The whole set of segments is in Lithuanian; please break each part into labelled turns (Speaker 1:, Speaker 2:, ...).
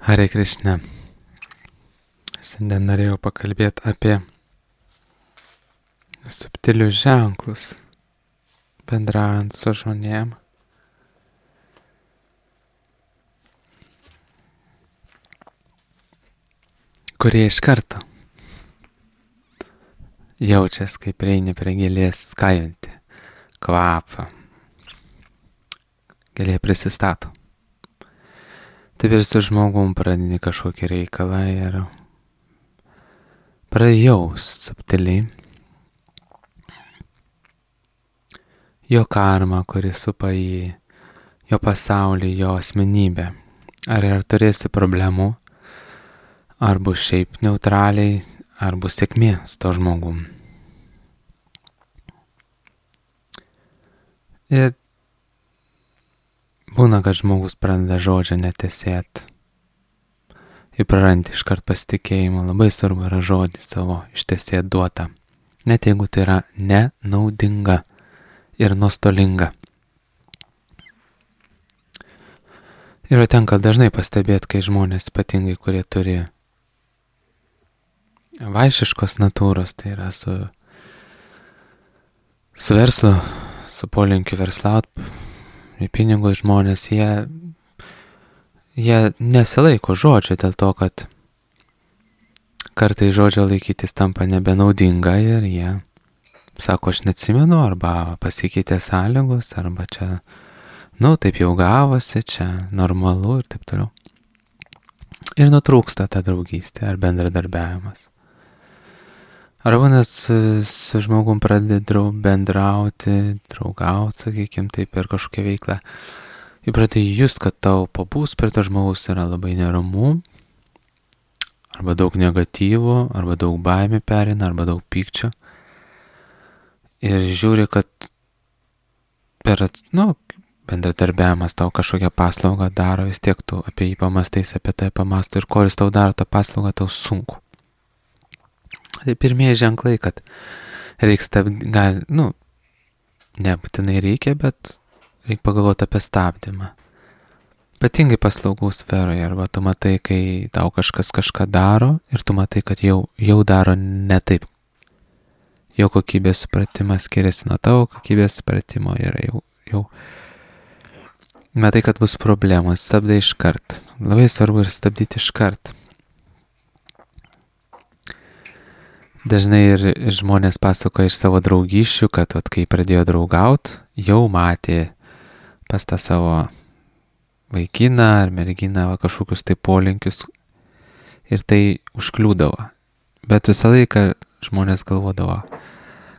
Speaker 1: Hare Krishna. Šiandien norėjau pakalbėti apie subtilius ženklus, bendraujant su žmonėm. Kurie iš karto jaučias, kaip prieini prie gėlės skajantį kvapą. Gėlė prisistato. Taip ir su žmogum pradedi kažkokį reikalą ir prajaus subtiliai jo karmą, kuris supa jį, jo pasaulį, jo asmenybę. Ar turėsi problemų, ar bus šiaip neutraliai, ar bus sėkmė su to žmogum. Ir būna, kad žmogus pradeda žodžią netesėt ir prarandi iškart pasitikėjimą. Labai svarbu yra žodį savo ištesėt duotą, net jeigu tai yra nenaudinga ir nuostolinga. Ir tenka dažnai pastebėti, kai žmonės, ypatingai kurie turi vaišiškos natūros, tai yra su verslu, su polinkiu verslaut, į pinigus žmonės, jie nesilaiko žodžio dėl to, kad kartai žodžio laikytis tampa nebenaudinga ir jie sako, aš neatsimenu, arba pasikeitė sąlygos, arba čia, taip jau gavosi, čia normalu ir taip toliau. Ir nutrūksta ta draugystė ar bendradarbiavimas. Arba net su žmogum pradedi bendrauti, draugauti, sakykime, taip per kažkokią veiklą. Ir pradedi just, kad tau pabūs prie to žmogus yra labai neramu, arba daug negatyvų, arba daug baimė perina, arba daug pykčio. Ir žiūri, kad bendradarbiavimas tau kažkokią paslaugą daro, vis tiek tu apie jį pamastais, apie tai pamastai ir kol jis tau daro tą paslaugą, tau sunku. Tai pirmieji ženklai, kad reikia stabdyti, nebūtinai reikia, bet reikia pagalvoti apie stabdymą. Ypatingai paslaugų sferoje, arba tu matai, kai tau kažkas kažką daro ir tu matai, kad jau daro ne taip. Jo kokybės supratimas skiriasi nuo tavo kokybės supratimo ir jau matai, kad bus problemos, stabdai iškart. Labai svarbu ir stabdyti iškart. Dažnai ir žmonės pasakoja iš savo draugyšių, kad kai pradėjo draugaut, jau matė pas tą savo vaikiną ar merginą kažkokius tai polinkius ir tai užkliūdavo. Bet visą laiką žmonės galvodavo,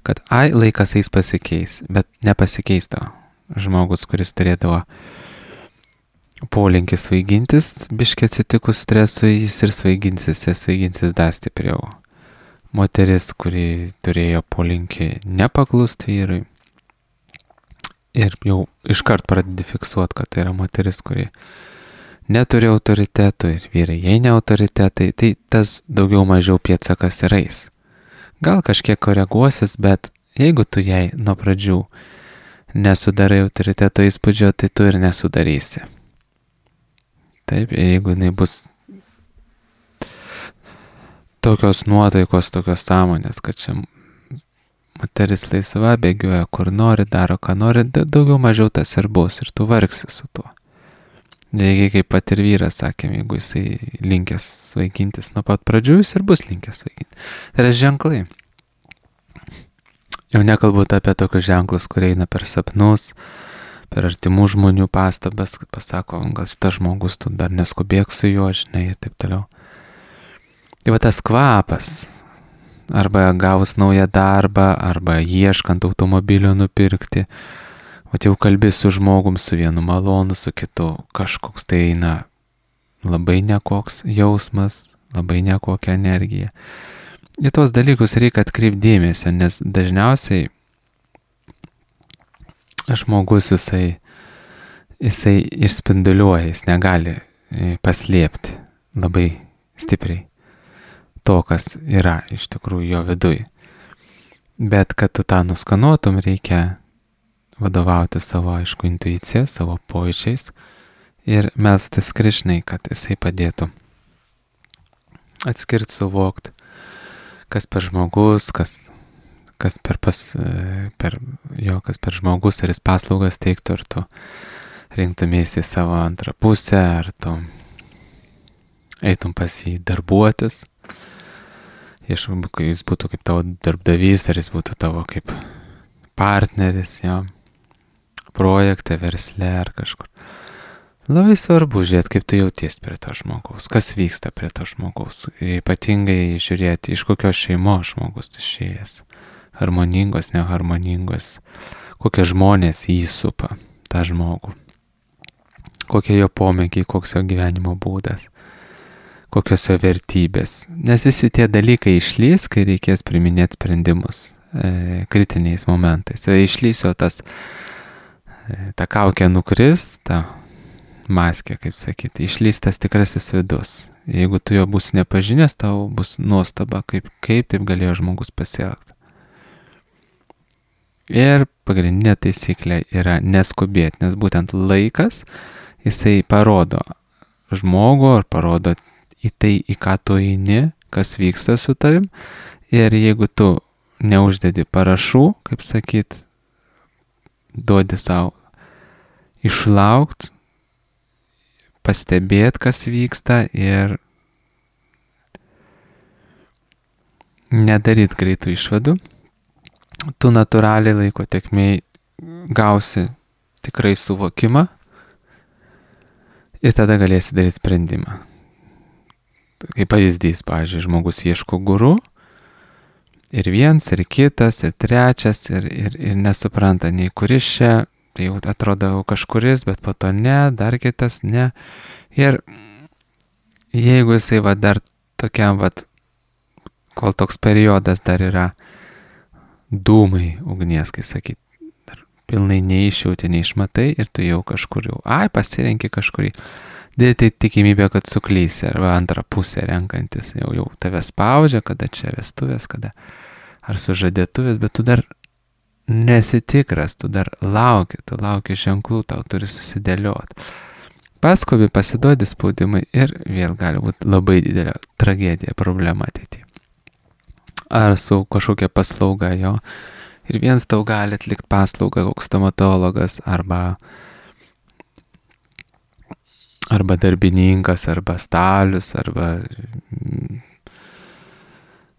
Speaker 1: kad laikas eis pasikeis, bet nepasikeisdavo. Žmogus, kuris turėdavo polinkį svaigintis, biškį atsitikus stresui, jis ir svaiginsis dar stipriau. Moteris, kuri turėjo polinkį nepaklusti vyrui ir jau iškart pradedi fiksuoti, kad tai yra moteris, kuri neturi autoritetų ir vyrai jai ne autoritetai, tai tas daugiau mažiau pėdsakas ir eis. Gal kažkiek koreguosis, bet jeigu tu jai nuo pradžių nesudarai autoriteto įspūdžio, tai tu ir nesudarysi. Taip, jeigu jinai bus tokios nuotaikos, tokios sąmonės, kad čia moteris laisva, bėgioja kur nori, daro ką nori, daugiau mažiau tas ir bus ir tu vargsi su tuo. Lygiai kaip pat ir vyras, sakėm, jeigu jisai linkęs svaigintis nuo pat pradžių, jis ir bus linkęs svaiginti. Tai yra ženklai. Jau nekalbu apie tokius ženklus, kurie eina per sapnus, per artimų žmonių pastabas, pasako, gal šitas žmogus, tu dar neskubėk su juo, žinai, ir taip toliau. Tai va tas kvapas, arba gavus naują darbą, arba ieškant automobilio nupirkti, jau kalbi su žmogum, su vienu malonu, su kitu, kažkoks tai eina labai nekoks jausmas, labai nekokia energija. Į tos dalykus reikia atkreipti dėmesio, nes dažniausiai žmogus jisai išspinduliuoja, jis negali paslėpti labai stipriai to, kas yra iš tikrųjų jo viduj. Bet kad tu tą nuskanuotum, reikia vadovauti savo, aišku, intuicija, savo pojūčiais ir melstis Krišnai, kad jisai padėtų atskirti, suvokti, kas per žmogus, kas per žmogus, ar jis paslaugas teiktų, ar tu rinktumėsi savo antrą pusę, ar tu eitum pas jį darbuotis, jis būtų kaip tavo darbdavys, ar jis būtų tavo kaip partneris, jo, projekte, versle ar kažkur. Labai svarbu žiūrėti, kaip tu jauties prie to žmogaus, kas vyksta prie to žmogaus, ypatingai žiūrėti, iš kokios šeimos žmogus išėjęs, harmoningos, neharmoningos, kokie žmonės jį supa, tą žmogų, kokie jo pomėgiai, koks jo gyvenimo būdas, kokios jo vertybės. Nes visi tie dalykai išlys, kai reikės priminėti sprendimus kritiniais momentais. Išlys jo ta kaukė nukris, ta maskė, kaip sakyti, išlys tas tikrasis vidus. Jeigu tu jo būsi nepažinęs, tau bus nuostaba, kaip taip galėjo žmogus pasielgti. Ir pagrindinė taisyklė yra neskubėti, nes būtent laikas, jisai parodo žmogų ar parodo į tai, į ką tu eini, kas vyksta su tavim. Ir jeigu tu neuždedi parašų, kaip sakyt, duodi savo išlaukti, pastebėti, kas vyksta ir nedaryti greitų išvadų, tu natūraliai laiko tėkmėj gausi tikrai suvokimą ir tada galėsi daryti sprendimą. Kaip pavyzdys, pavyzdžiui, žmogus ieško guru ir viens, ir kitas, ir trečias, ir nesupranta nei kuris čia, tai jau atrodo kažkuris, bet po to ne, dar kitas ne. Ir jeigu jisai dar tokiam, kol toks periodas dar yra dūmai ugnies, kai sakyt, dar pilnai neišjauti, neišmatai ir tu jau kažkur pasirenki kažkurį. Dėti tikimybė, kad suklysi, arba antrą pusę renkantis, jau tave spaudžia, kada čia vestuvės, kada ar sužadėtuvės, bet tu dar nesitikras, tu dar lauki ženklų, tau turi susidėlioti. Paskubi, pasiduodi spaudimai ir vėl gali būti labai didelė tragedija, problema ateityje. Ar su kažkokia paslauga jo. Ir viens tau gali atlikti paslaugą, koks stomatologas, arba darbininkas, arba stalius, arba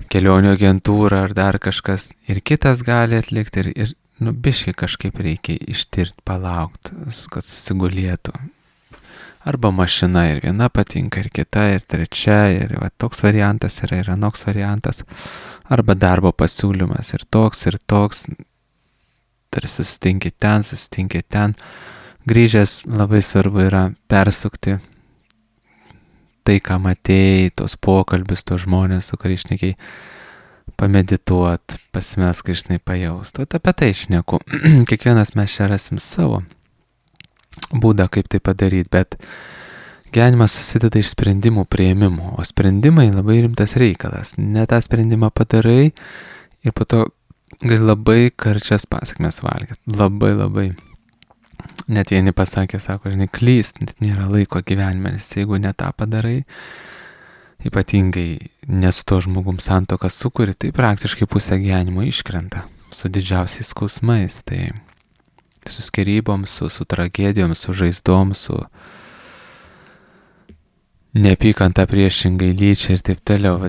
Speaker 1: kelionių agentūra, ar dar kažkas. Ir kitas gali atlikti ir biškai kažkaip reikia ištirti, palaukti, kad susigulėtų. Arba mašina ir viena patinka, ir kita, ir trečia, ir toks variantas yra, ir anoks variantas. Arba darbo pasiūlymas ir toks, tarsi susitinki ten. Grįžęs labai svarbu yra persukti tai, ką matėjai, tos pokalbius, tos žmonės, su kuriais šnekiai, pamedituot, pasimelst Krišnai, pajaust. Apie tai šneku. Kiekvienas mes čia rasim savo būdą, kaip tai padaryti, bet gyvenimas susideda iš sprendimų priėmimų, o sprendimai labai rimtas reikalas. Ne tą sprendimą padarai ir po to gali labai karčias pasekmes valgyti. Labai. Net vieni pasakė, sako, klyst, net nėra laiko gyvenime, nes jeigu ne tą padarai, ypatingai nes to žmogum santuoką sukuri, tai praktiškai pusę gyvenimo iškrenta su didžiausiais skausmais, tai su skyrybom, su tragedijom, su žaizdom, su neapykanta priešingai lyčiai ir taip toliau.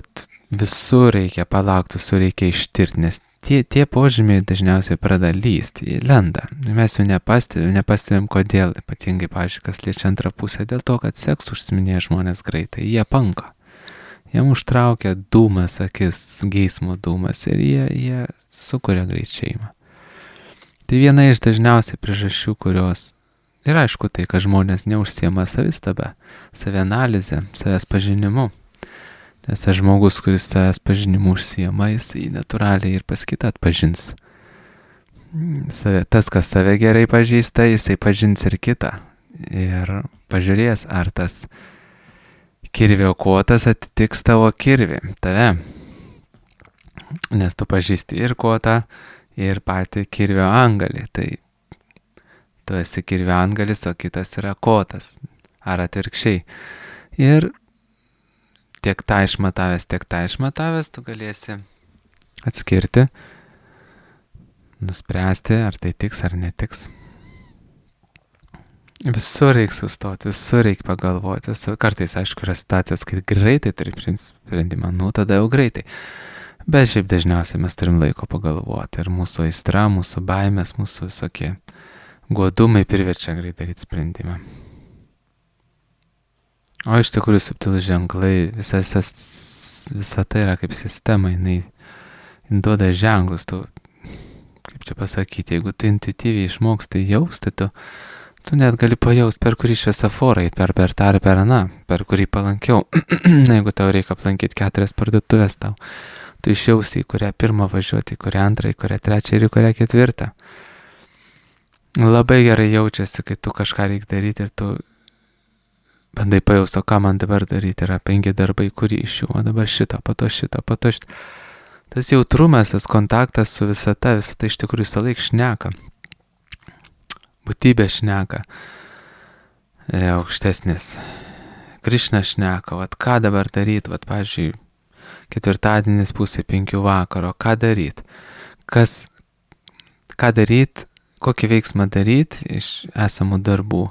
Speaker 1: Visur reikia palaukti, visur reikia ištirti, nes tie požymiai dažniausiai pradeda lysti, lenda. Mes jų nepastebėm kodėl, ypatingai, pavyzdžiui, kas liečia antrą pusę, dėl to, kad seksu užsiminėja žmonės greitai, jie panka. Jiem užtraukia dūmas, akis, geismo dūmas ir jie sukuria greit šeimą. Tai viena iš dažniausiai priežasčių, kurios ir aišku tai, kad žmonės neužsiema savistaba, savianalizė, savęs pažinimu. Nes tas žmogus, kuris savęs pažinimu užsiema, jis natūraliai ir pas kitą atpažins. Tas, kas save gerai pažįsta, jisai pažins ir kitą. Ir pažiūrės, ar tas kirvio kotas atitiks tavo kirvį, tave. Nes tu pažįsti ir kotą, ir patį kirvio angalį. Tai tu esi kirvio angalis, o kitas yra kotas. ar atvirkščiai. Ir tiek tą išmatavęs, tu galėsi atskirti, nuspręsti, ar tai tiks ar netiks. Visur reikia sustoti, visur reikia pagalvoti. Kartais, aišku, yra situacijos, kai greitai turi sprendimą, tada jau greitai. Bet šiaip dažniausiai mes turim laiko pagalvoti. Ir mūsų aistra, mūsų baimės, mūsų visokie godumai priverčia greitai daryti sprendimą. O iš tikrųjų subtilūs ženklai, visa tai yra kaip sistema, jinai duoda ženklus. Tu, kaip čia pasakyti, jeigu tu intuityviai išmoksti jausti, tu net gali pajausti, per kurį šviesoforą, per tą ar per aną, per kurį palankiau. Jeigu tau reikia aplankyti 4 parduotuvės tau, tu išjausi, į kurią pirmą važiuoti, į kurią antrą, į kurią trečią ir į kurią 4. Labai gerai jaučiasi, kai tu kažką reikia daryti ir tu bandai pajausti, o ką man dabar daryti, yra 5 darbai, kurį iš jų, o dabar šitą, po to šitą. Tas jautrumas, tas kontaktas su visata iš tikrųjų visą laiką šneka. Būtybė šneka, aukštesnis. Krišna šneka, ką dabar daryti, pavyzdžiui, 4-dienis pusė 5 vakaro, ką daryti? Ką daryti, kokį veiksmą daryti iš esamų darbų,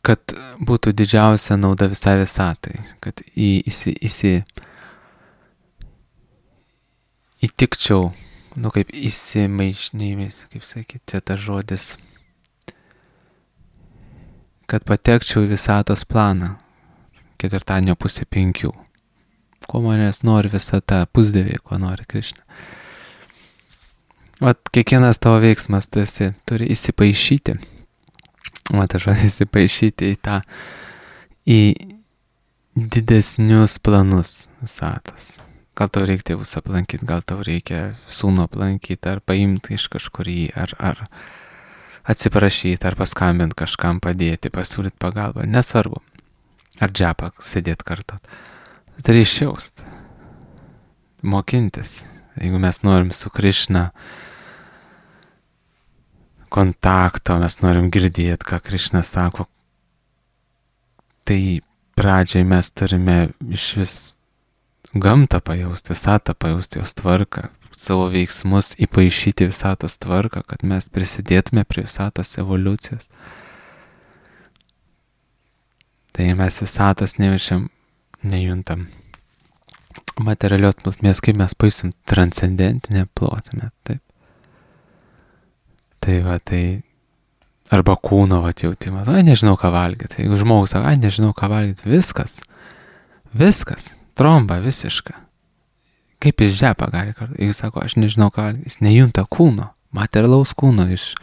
Speaker 1: kad būtų didžiausia nauda visai visatai, kad įtikčiau, kaip įsimaišnėjimis, kaip sakyti, čia tas žodis, kad patekčiau į visatos planą, 4-dienio pusė 5. Ko manęs nori visata, pusdieviai, ko nori Krišna. Kiekvienas tavo veiksmas turi įsipaišyti. Tas žodis įsipaišyti į didesnius planus visatos. Gal tau reikia tėvus aplankyti, gal tau reikia sūnų aplankyti, ar paimti iš kažkur jį, ar atsiprašyti, ar paskambinti kažkam, padėti, pasiūlyti pagalbą, nesvarbu. Ar džepą sėdėti kartu. Tai išjausti, mokintis. Jeigu mes norim su Krišna kontakto, mes norim girdėti, ką Krišna sako, tai pradžiai mes turime iš vis gamtą pajausti, visatą pajausti, jos tvarką, savo veiksmus įpaišyti visatos tvarką, kad mes prisidėtume prie visatos evoliucijos. Tai mes visatos nejuntam materialios plotmės, kaip mes pajusim transcendentinę plotmę, taip. Tai arba kūno jautimas, nežinau ką valgyti. Jeigu žmogus sako, nežinau ką valgyti, viskas, tromba visiška. Kaip jis žepą gali kartu? Jeigu sako, aš nežinau ką valgyti, jis nejunta kūno, materialaus kūno iš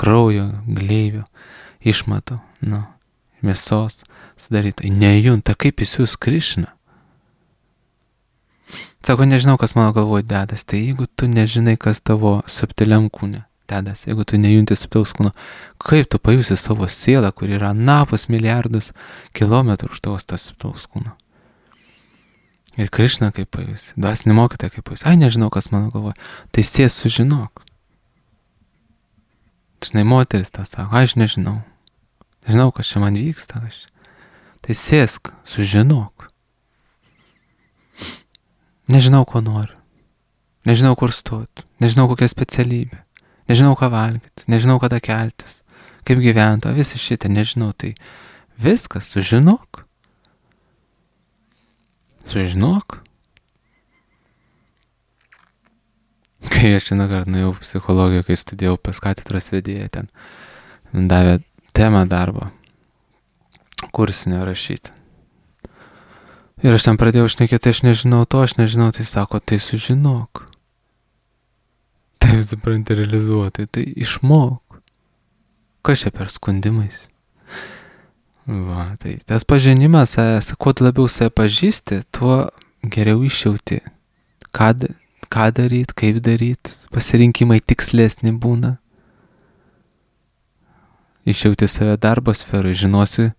Speaker 1: kraujo, gleivių, išmatų, mėsos sudaryta. Nejunta, kaip jis jūs Krišna. Sako, nežinau, kas mano galvoje dedas. Tai jeigu tu nežinai, kas tavo subtiliam kūne dedas, jeigu tu nejunti subtilaus kūno, kaip tu pajusi savo sielą, kur yra napus milijardus kilometrų už tavo tas subtilaus kūno. Ir Krišna kaip pajusi, dvasinį mokytoją kaip pajusi. Nežinau, kas mano galvoje. Tai sės sužinok. Žinai, moteris tą sako, aš nežinau. Nežinau, kas čia man vyksta. Tai sėsk, sužinok. Nežinau, ko noriu. Nežinau, kur stoti. Nežinau, kokia specialybė. Nežinau, ką valgyti. Nežinau, kada keltis. Kaip gyventi. Visi šitą nežinau. Tai viskas, sužinok. Sužinok. Kai aš šiandien kartą nuėjau psichologiją, kai studijavau pas katedros vedėją, ten davė temą darbo, kursinio rašyti. Ir aš ten pradėjau šnekėti, aš nežinau, tai sako, tai sužinok. Tai supranti realizuoti, tai išmok. Kas čia per skundimais? Tai tas pažinimas, kuo labiau save pažįsti, tuo geriau išjauti, ką daryti, kaip daryti, pasirinkimai tikslesni būna. Išjauti save darbo sferai, žinosi,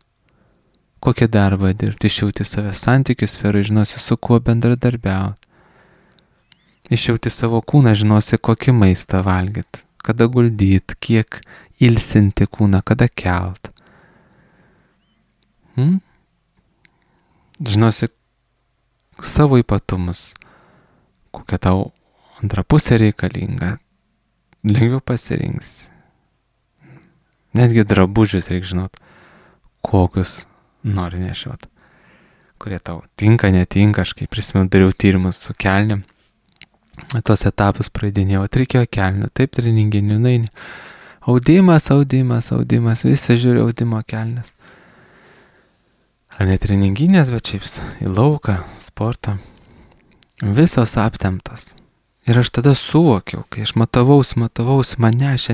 Speaker 1: kokią darbą dirbti, išjauti save santykių sferai, žinosi, su kuo bendradarbiauti. Išjauti savo kūną, žinosi, kokį maistą valgyti, kada guldyti, kiek ilsinti kūną, kada kelt. Žinosi savo ypatumus, kokia tau antra pusė reikalinga, lengviau pasirinksi. Netgi drabužius reikia žinot, kokius nori nešiot, kurie tau tinka, netinka. Aš kai prisimenu, dariau tyrimus su kelnėm, tos etapus praeidinėjau, reikėjo kelnių, taip treninginių, naini. Audimas, visi žiūri audimo kelnes. Ar ne treninginės, bet šiaip į lauką, sportą. Visos aptemptos. Ir aš tada suvokiau, kai aš matavausi, man nešė,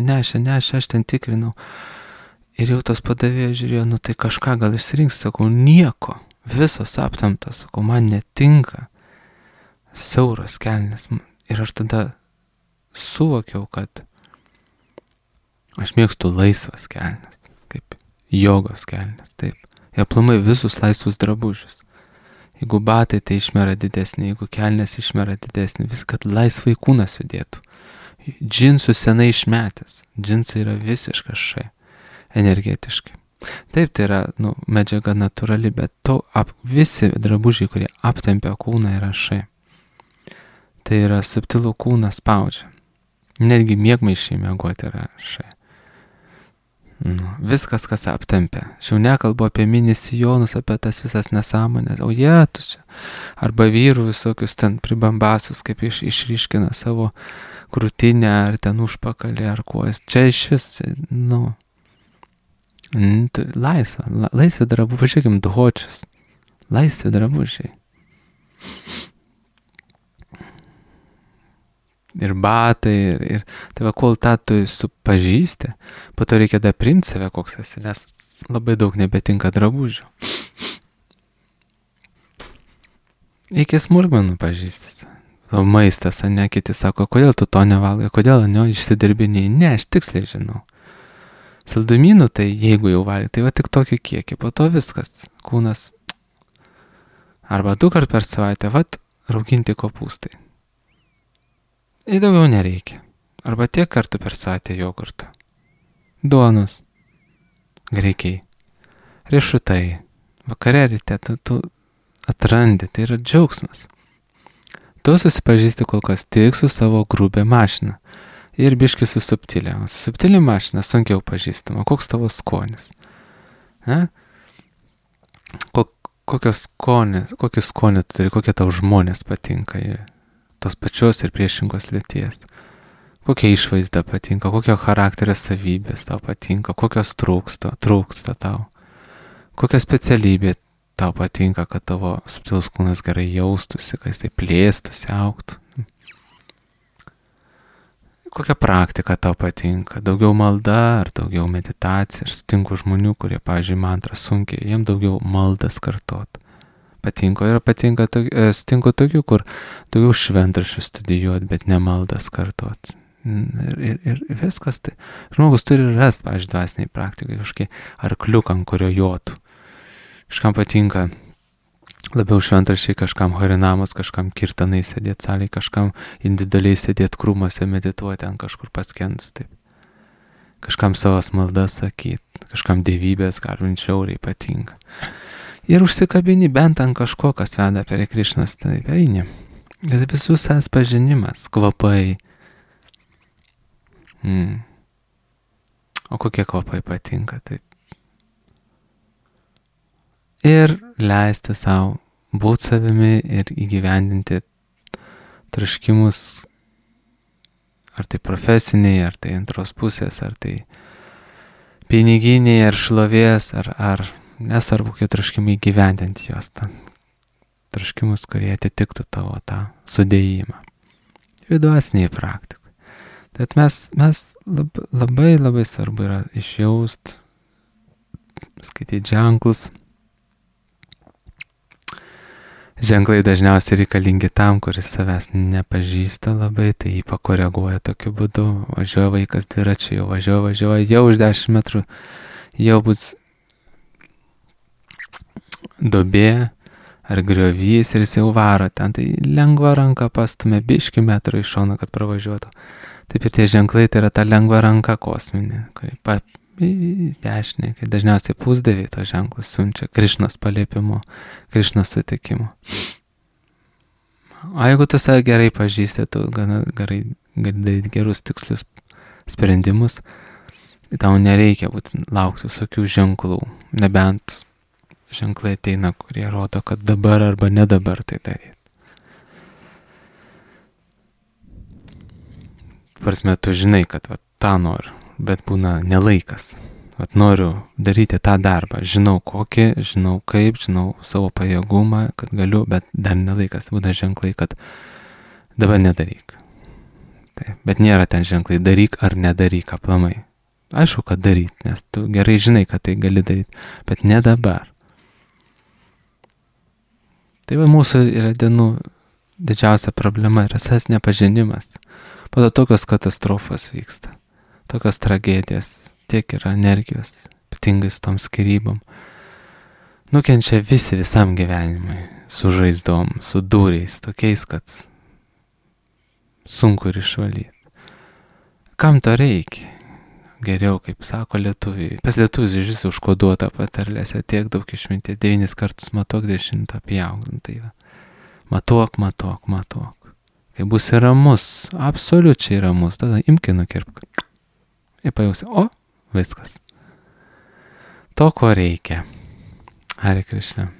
Speaker 1: aš ten tikrinau. Ir jau tas padavėjas žiūrėjo, tai kažką gal išsirinks, sakau, nieko, visos aptemptos, sakau, man netinka siauros kelnes. Ir aš tada suvokiau, kad aš mėgstu laisvas kelnes, kaip jogos kelnes, taip. Ir aplamai visus laisvus drabužius. Jeigu batai, tai išmera didesnį, jeigu kelnes išmera didesnį, viską, kad laisvai kūnas judėtų. Džinsų senai išmetęs. Džinsai yra visiškas šai, energetiškai. Taip, tai yra medžiaga natūrali, bet visi drabužiai, kurie aptempia kūną, yra šai. Tai yra subtilų kūną spaudžia. Netgi miegmaišiai miegoti yra šai. Viskas, kas aptempia. Aš jau nekalbu apie mini sijonus, apie tas visas nesąmonės. O tu čia. Arba vyrų visokius ten pribambasus, kaip išryškina savo krūtinę, ar ten užpakalį, ar kojas. Čia iš vis, laisvė drabužiai, pažiūrėkim, duhočius. Laisvė drabužiai. Ir batai, ir tai kol tu pažįsti, po to reikia dar priimti save, koks esi, nes labai daug nebetinka drabužių. Iki smulkmenų pažįstis. O maistas, ne, kiti sako, kodėl tu to nevalgai, kodėl išsidirbiniai. Ne, aš tiksliai žinau. Saldumynų, tai jeigu jau valgai, tai tik tokį kiekį, po to viskas, kūnas. Arba 2 kart per savaitę, rauginti kopūstai. Ir daugiau nereikia. Arba tiek kartų per savaitę jogurtą. Duonos. Greikiai. Riešutai. Vakare ryte tu atrandi, tai yra džiaugsmas. Tu susipažįsti kol kas tik su savo grubė mašina. Ir biški su subtilė. Subtilė mašina sunkiau pažįstama. Koks tavo skonis? Kokį skonį tu turi, kokie tau žmonės patinka. Tos pačios ir priešingos lyties. Kokia išvaizda patinka, kokio charakterio savybės tau patinka, kokios trūksta tau. Kokia specialybė tau patinka, kad tavo subtilus kūnas gerai jaustųsi, kad jis tai plėstųsi, augtų. Kokia praktika tau patinka, daugiau malda ar daugiau meditacija. Aš sutinku žmonių, kurie, pavyzdžiui, mantrą sunkiai, jiems daugiau maldas kartot. Sutinku tokių, kur daugiau šventraščių studijuoti, bet ne maldas kartot. Ir viskas tai. Žmogus turi rasti, pavyzdžiui, dvasiniai praktikai, kažkokį arkliuką, ant kurio jotų. Kažkam patinka labiau šventraščiai, kažkam harinamos, kažkam kirtanai sėdėti salėje, kažkam individualiai sėdėti krūmuose, medituoti ant kažkur paskendus. Taip. Kažkam savas maldas sakyti, kažkam dievybės garbinti žiauriai patinka. Ir užsikabini bent ant kažko, kas veda prie Krišnos, tai eini. Ir visų savęs pažinimas, kvapai. O kokie kvapai patinka, taip. Ir leisti savo būti savimi ir įgyvendinti troškimus, ar tai profesiniai, ar tai antros pusės, ar tai piniginiai, ar šlovės, ar nesvarbu, kokie troškimai įgyvendinti juos, troškimus, kurie atitiktų tavo tą sudėjimą. Dvasiniai praktikui. Tad mes labai svarbu yra išjaust, skaityti ženklus. Ženklai dažniausiai reikalingi tam, kuris savęs nepažįsta labai, tai jį pakoreguoja tokiu būdu. Važiuoja vaikas dviračiu, jau už 10 metrų, jau bus duobė ar griovys ir jis jau varo ten, tai lengva ranka pastumė biškį metrą iš šono, kad pravažiuotų. Taip ir tie ženklai tai yra ta lengva ranka kosminė, kuri į dešinę, kai dažniausiai pusdieviai to ženklus siunčia Krišnos paliepimu, Krišnos sutikimu. O jeigu tu save gerai pažįsti, tu gana gerai gali daryti gerus tikslius sprendimus, tau nereikia būtent laukti visokių ženklų, nebent ženklai ateina, kurie rodo, kad dabar arba ne dabar tai daryti. Prasme, tu žinai, kad tą noriu, bet būna nelaikas. Noriu daryti tą darbą, žinau kokį, žinau kaip, žinau savo pajėgumą, kad galiu, bet dar nelaikas. Būna ženklai, kad dabar nedaryk. Taip, bet nėra ten ženklai, daryk ar nedaryk aplamai. Aišku, kad daryt, nes tu gerai žinai, kad tai gali daryti, bet ne dabar. Tai mūsų yra dienų didžiausia problema yra savęs nepažinimas. Po to tokios katastrofos vyksta, tokios tragedijos, tiek yra energijos, ypatingai su tom skyrybom. Nukenčia visi visam gyvenimui, su žaizdom, su dūriais, tokiais, kad sunku ir išvalyti. Kam to reikia? Geriau, kaip sako lietuviai. Pas lietuvis iš visų užkoduota patarlėse tiek daug išminties, 9 kartus matuok, 10 pjauk. Tai va. Matuok. Kai būsi ramus, absoliučiai ramus, tada imki nukirpk. Ir pajausi, viskas. To, ko reikia. Hare Krishna.